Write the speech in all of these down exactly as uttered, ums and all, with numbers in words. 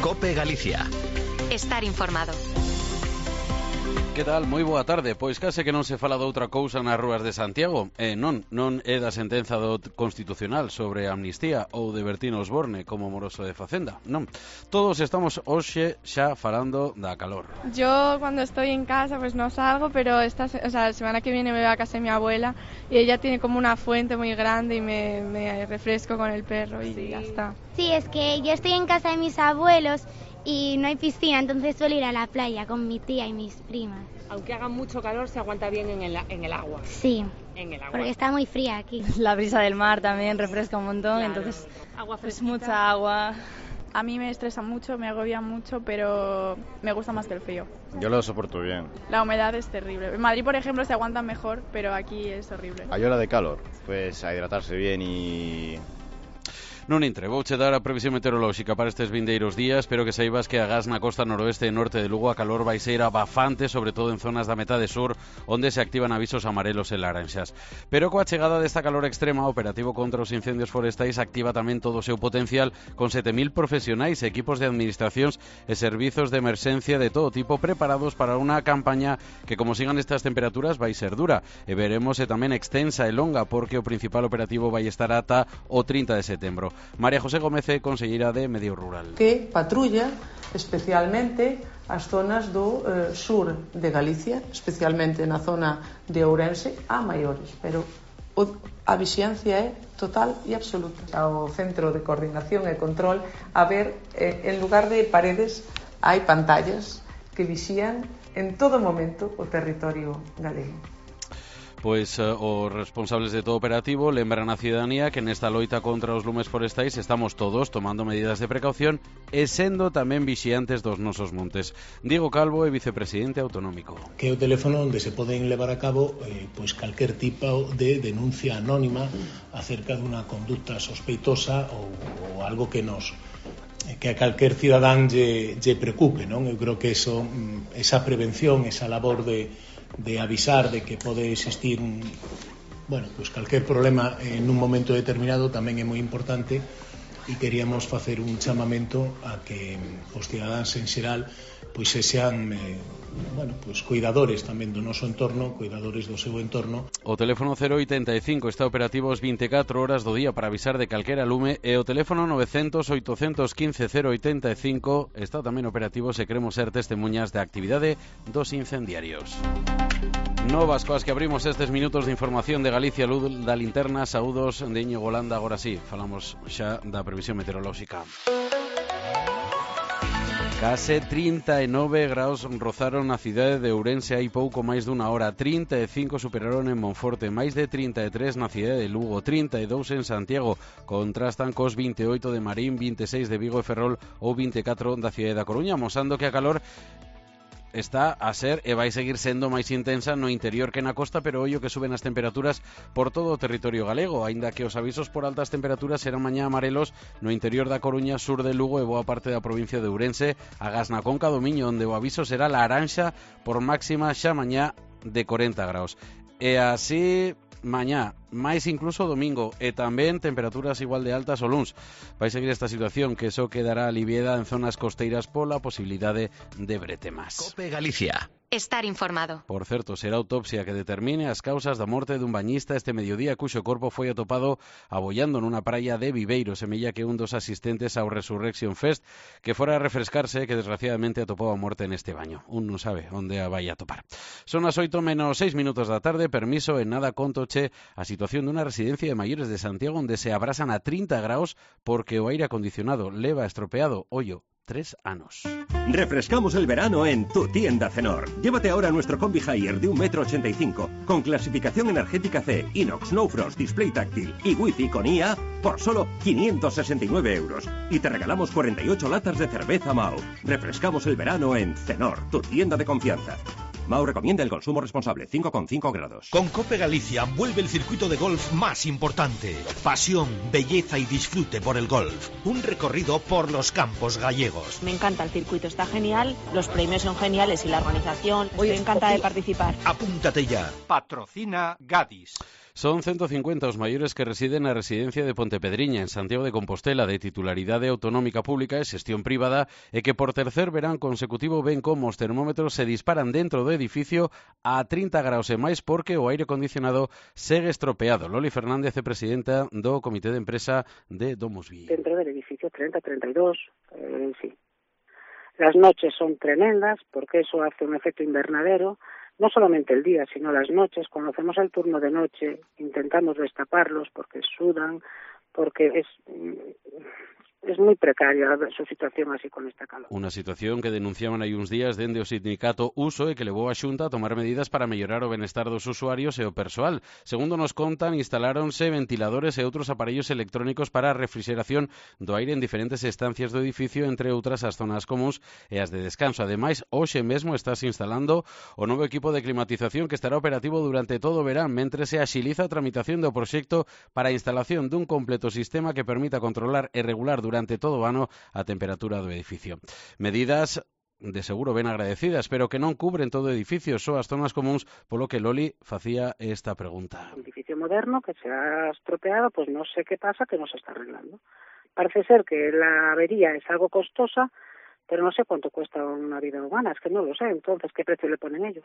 COPE Galicia. Estar informado. Que tal? Moi boa tarde. Pois case que non se fala doutra cousa nas rúas de Santiago. E non, non é da sentenza do Constitucional sobre a amnistía ou de Bertino Osborne como moroso de Facenda. Non. Todos estamos hoxe xa falando da calor. Yo cuando estoy en casa pues no salgo, pero esta, o sea, la semana que viene me voy a casa de mi abuela y ella tiene como una fuente muy grande y me, me refresco con el perro y sí. Ya está. Sí, es que yo estoy en casa de mis abuelos y no hay piscina, entonces suelo ir a la playa con mi tía y mis primas. Aunque haga mucho calor, se aguanta bien en el, en el agua. Sí, en el agua. Porque está muy fría aquí. La brisa del mar también refresca un montón, claro. Entonces agua pues mucha agua. A mí me estresa mucho, me agobia mucho, pero me gusta más que el frío. Yo lo soporto bien. La humedad es terrible. En Madrid, por ejemplo, se aguanta mejor, pero aquí es horrible. Hay hora de calor, pues a hidratarse bien y... Non entre, vouche dar a previsión meteorolóxica para estes vindeiros días. Espero que saibas que agás na costa noroeste e norte de Lugo a calor vai ser abafante, sobre todo en zonas da metade sur, onde se activan avisos amarelos e laranxas. Pero coa chegada desta calor extrema, o operativo contra os incendios forestais activa tamén todo o seu potencial con sete mil profesionais, equipos de administracións e servizos de emerxencia de todo tipo preparados para unha campaña que, como sigan estas temperaturas, vai ser dura. E veremos e tamén extensa e longa, porque o principal operativo vai estar ata o trinta de setembro. María José Gómez é conselleira de Medio Rural. Que patrulla especialmente as zonas do eh, sur de Galicia, especialmente na zona de Ourense, a maiores, pero o, a vixiancia é total e absoluta. Ao Centro de Coordinación e Control, a ver, eh, en lugar de paredes, hai pantallas que vixían en todo momento o territorio galego. Pois uh, os responsables de todo operativo lembran a ciudadanía que nesta loita contra os lumes forestais estamos todos tomando medidas de precaución e sendo tamén vixiantes dos nosos montes. Diego Calvo é vicepresidente autonómico. Que é o teléfono onde se poden levar a cabo eh, pois calquer tipo de denuncia anónima acerca dunha conducta sospeitosa ou, ou algo que nos que a calquer cidadán lle, lle preocupe, non? Eu creo que eso, esa prevención, esa labor de de avisar de que pode existir un, bueno, pues calquer problema en un momento determinado tamén é moi importante e queríamos facer un chamamento a que os cidadáns en xeral pois se sean eh, bueno, pues cuidadores tamén do noso entorno, cuidadores do seu entorno. O teléfono cero oitenta e cinco está operativo as veinticatro horas do día para avisar de calquera lume e o teléfono novecientos oitocentos quince cero oitenta e cinco está tamén operativo se queremos ser testemunhas da actividade dos incendiarios. Novas coas que abrimos estes minutos de información de Galicia, luz da linterna. Saúdos de Íñigo Golanda. Agora sí, falamos xa da previsión meteorolóxica. Case trinta e nove graus rozaron na cidade de Ourense hai pouco máis dunha hora, trinta e cinco superaron en Monforte, máis de trinta e tres na cidade de Lugo, trinta e dous en Santiago, contrastan cos vinte e oito de Marín, vinte e seis de Vigo e Ferrol ou vinte e catro da cidade da Coruña, mosando que a calor está a ser e vai seguir sendo máis intensa no interior que na costa, pero ollo que suben as temperaturas por todo o territorio galego, aínda que os avisos por altas temperaturas serán mañá amarelos no interior da Coruña, sur de Lugo e boa parte da provincia de Ourense, agás na Conca do Miño, onde o aviso será laranxa por máxima xa mañá de corenta graus. E así mañá, máis incluso domingo, e tamén temperaturas igual de altas o luns. Vai seguir esta situación que só quedará aliviada en zonas costeiras pola posibilidade de bretemas. COPE Galicia. Estar informado. Por certo, será autopsia que determine as causas da morte dun bañista este mediodía cuxo corpo foi atopado abollando nunha praia de Viveiro, semella que un dos asistentes ao Resurrection Fest que fora a refrescarse que desgraciadamente atopou a morte neste baño. Un non sabe onde a vai a topar. Son as oito menos seis minutos da tarde, permiso, en nada contoche a situación dunha residencia de maiores de Santiago onde se abrasan a trinta graus porque o aire acondicionado leva estropeado, ollo, tres anos. Refrescamos el verano en tu tienda Cenor. Llévate ahora nuestro Combi Haier de un metro ochenta y cinco con clasificación energética C, inox, no frost, display táctil y wifi con I A por solo quinientos sesenta y nueve euros. Y te regalamos cuarenta y ocho latas de cerveza Mau. Refrescamos el verano en Cenor, tu tienda de confianza. Mau recomienda el consumo responsable, cinco coma cinco grados. Con COPE Galicia vuelve el circuito de golf más importante. Pasión, belleza y disfrute por el golf. Un recorrido por los campos gallegos. Me encanta el circuito, está genial, los premios son geniales y la organización. Estoy encantada de participar. Apúntate ya. Patrocina Gadis. Son ciento cincuenta os maiores que residen na residencia de Pontepedriña, en Santiago de Compostela, de titularidade autonómica pública e xestión privada, e que por tercer verán consecutivo ven como os termómetros se disparan dentro do edificio a trinta graus e máis porque o aire acondicionado segue estropeado. Loli Fernández é presidenta do Comité de Empresa de Domusvi. Dentro del edificio treinta, treinta y dos, eh, sí. Las noches son tremendas porque eso hace un efecto invernadero. No solamente el día, sino las noches. Cuando hacemos el turno de noche, intentamos destaparlos porque sudan, porque es, es muy precaria su situación así con esta calor. Unha situación que denunciaban hai uns días dende o sindicato Uso e que levou a Xunta a tomar medidas para mellorar o benestar dos usuarios e o persoal. Segundo nos contan, instaláronse ventiladores e outros aparellos electrónicos para a refrigeración do aire en diferentes estancias do edificio, entre outras as zonas comuns e as de descanso. Ademais, hoxe mesmo estás instalando o novo equipo de climatización que estará operativo durante todo o verán, mentre se axiliza a tramitación do proxecto para a instalación dun completo sistema que permita controlar e regular durante todo o ano a temperatura do edificio. Medidas de seguro ben agradecidas, pero que non cubren todo o edificio, só as zonas comuns, polo que Loli facía esta pregunta. Un edificio moderno que se ha estropeado, pues no sé qué pasa, que no se está arreglando. Parece ser que la avería es algo costosa, pero no sé cuánto cuesta una vida humana, es que no lo sé. Entonces, ¿qué precio le ponen ellos?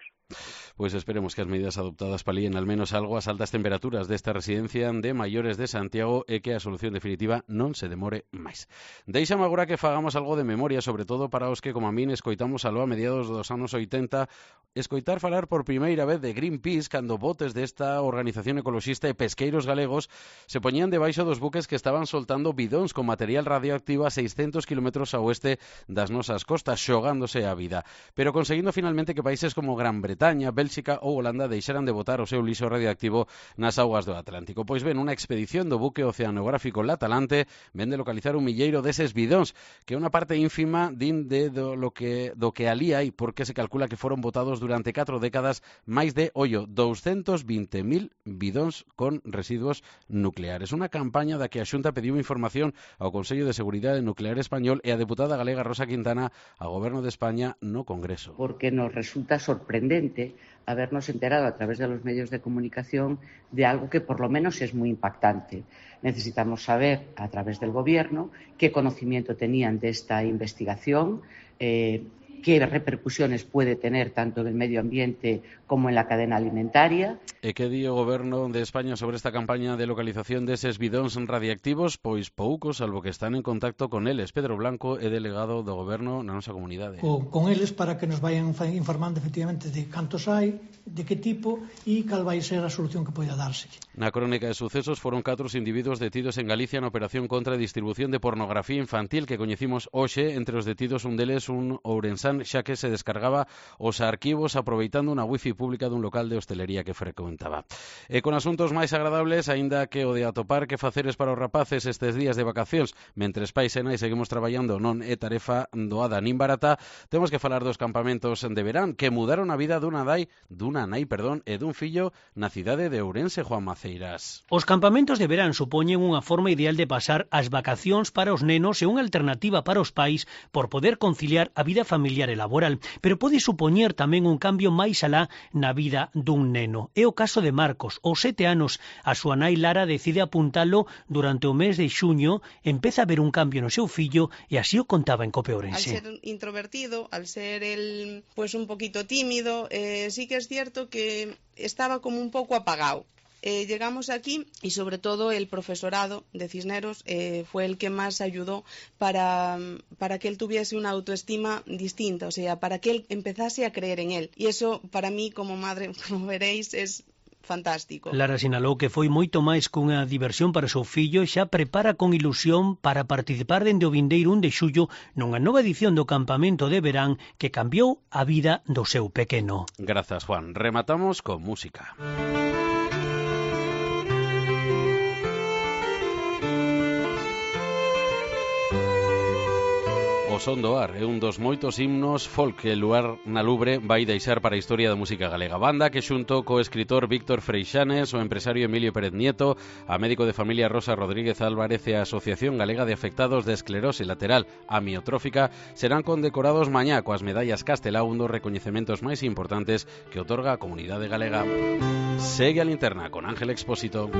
Pues esperemos que as medidas adoptadas palíen al menos algo as altas temperaturas desta residencia de maiores de Santiago e que a solución definitiva non se demore máis. Deixame agora que fagamos algo de memoria, sobre todo para os que, como a min, escoitamos aló a mediados dos anos oitenta, escoitar falar por primeira vez de Greenpeace cando botes desta organización ecoloxista e pesqueiros galegos se poñían debaixo dos buques que estaban soltando bidóns con material radioactivo a seiscentos kilómetros a oeste das nosas costas, xogándose a vida, pero conseguindo finalmente que países como Gran Bretaña, Bélxica ou Holanda deixaran de botar o seu lixo radioactivo nas augas do Atlántico. Pois ben, unha expedición do buque oceanográfico Latalante vende localizar un milleiro deses bidóns, que é unha parte ínfima din de do, lo que, do que alí hai, porque se calcula que foron botados durante catro décadas máis de, ollo, doscientos veinte mil bidóns con residuos nucleares. Unha campaña da que a Xunta pediu información ao Consello de Seguridade Nuclear Español e a deputada galega Rosa Quintana a Goberno de España no Congreso. Porque nos resulta sorprendente habernos enterado a través de los medios de comunicación de algo que por lo menos es muy impactante. Necesitamos saber a través del Gobierno qué conocimiento tenían de esta investigación, eh, qué repercusiones puede tener tanto en el medio ambiente como en la cadena alimentaria. E que di o Goberno de España sobre esta campaña de localización deses bidóns radiactivos? Pois poucos, salvo que están en contacto con eles. Pedro Blanco é delegado do Goberno na nosa comunidade. Con, con eles para que nos vayan informando efectivamente de cantos hai, de que tipo e cal vai ser a solución que poida darse. Na crónica de sucesos foron catro individuos detidos en Galicia na operación contra a distribución de pornografía infantil que coñecimos hoxe. Entre os detidos un deles un ourensán xa que se descargaba os arquivos aproveitando unha wifi pública dun local de hostelería que frecuentaba. E con asuntos máis agradables, aínda que o de atopar que faceres para os rapaces estes días de vacacións, mentres pais e nai seguimos traballando non é tarefa doada nin barata, temos que falar dos campamentos de verán que mudaron a vida dunha nai, dunha nai, perdón, e dun fillo na cidade de Ourense, Juan Maceiras. Os campamentos de verán supoñen unha forma ideal de pasar as vacacións para os nenos e unha alternativa para os pais por poder conciliar a vida familiar e laboral, pero pode supoñer tamén un cambio máis alá na vida dun neno. É o caso de Marcos, aos sete anos, a súa nai Lara decide apuntalo durante o mes de xuño, empeza a ver un cambio no seu fillo e así o contaba en Cope Ourense. Al ser introvertido, al ser él pues un poquito tímido, eh, sí que es cierto que estaba como un poco apagado. Eh, llegamos aquí y sobre todo el profesorado de Cisneros eh, fue el que más ayudó para, para que él tuviese una autoestima distinta, o sea, para que él empezase a creer en él. Y eso para mí como madre, como veréis, es fantástico. Lara sinalou que foi moito máis cunha diversión para o seu fillo e xa prepara con ilusión para participar dende o vindeiro un de xullo nunha nova edición do campamento de verán que cambiou a vida do seu pequeno. Grazas, Juan. Rematamos con música. O Son do Ar é un dos moitos himnos folk que Luar na Lubre vai deixar para a historia da música galega. Banda que xunto co escritor Víctor Freixanes, o empresario Emilio Pérez Nieto, a médico de familia Rosa Rodríguez Álvarez e a Asociación Galega de Afectados de Esclerose Lateral Amiotrófica serán condecorados mañá coas medallas Castelao, un dos recoñecementos máis importantes que otorga a comunidade galega. Segue a Linterna con Ángel Expósito.